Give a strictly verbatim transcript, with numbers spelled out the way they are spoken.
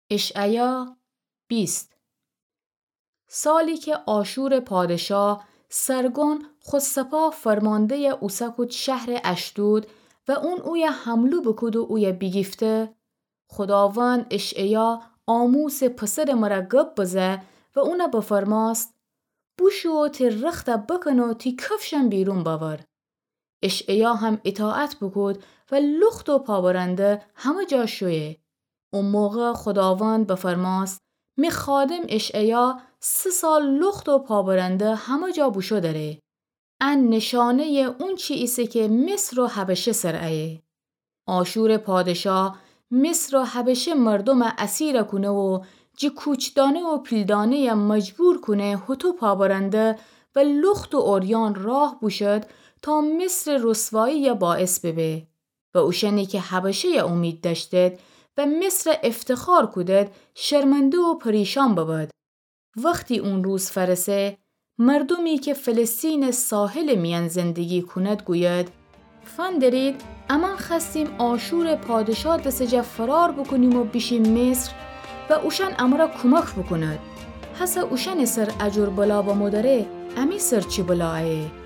اشعیا بیست. سالی کی آشورٚ پادشا سرگون خو سپاه فرمانده‌ی اوسه کود شهرٚ اشدود و اون اویه حمله بوکود و اویه بیگیفته، خوداوند اشعیا آموسٚ پسرٚ مره گب بزه و اونه بفرماست: بوشو و تی رخته بکن و تی کفشم بیرون بأور. اشعیا هم ایطاعت بوکود و لخت و پابرنده همه جا شویه. او موقع خوداوند بفرماست: می خادم اشعیا سه سال لخت و پابرنده همه جا بوشو دأره. ان نشانه‌یٚ اونچی ایسه کی مصر و حبشه سر ایه. آشورٚ پادشا مصر و حبشه مردومه اسیر کونه و جٚه کوچدانه و پیلدانه‌یه مجبور کونه هوطو پابرنده و لخت و عریان راه بوشد تا مصرٚ رسوایی‌یه باعث ببه و اوشأنی کی حبشه‌یه اومید دأشتید و مصره افتخار کودید شرمنده و پریشان ببد. وختی اون روز فأرسه، مردومی کی فلسطینٚ ساحلٚ میأن زندگی کونید گوید: فندرید، امأن خوأستیم آشورٚ پادشا دسٚ جا فرار بوکونیم و بیشیم مصر و اوشأن امره کومک بوکوند. هسه اوشأنٚ سر اجور بلا بمودره، امی سر چی بلا ایه؟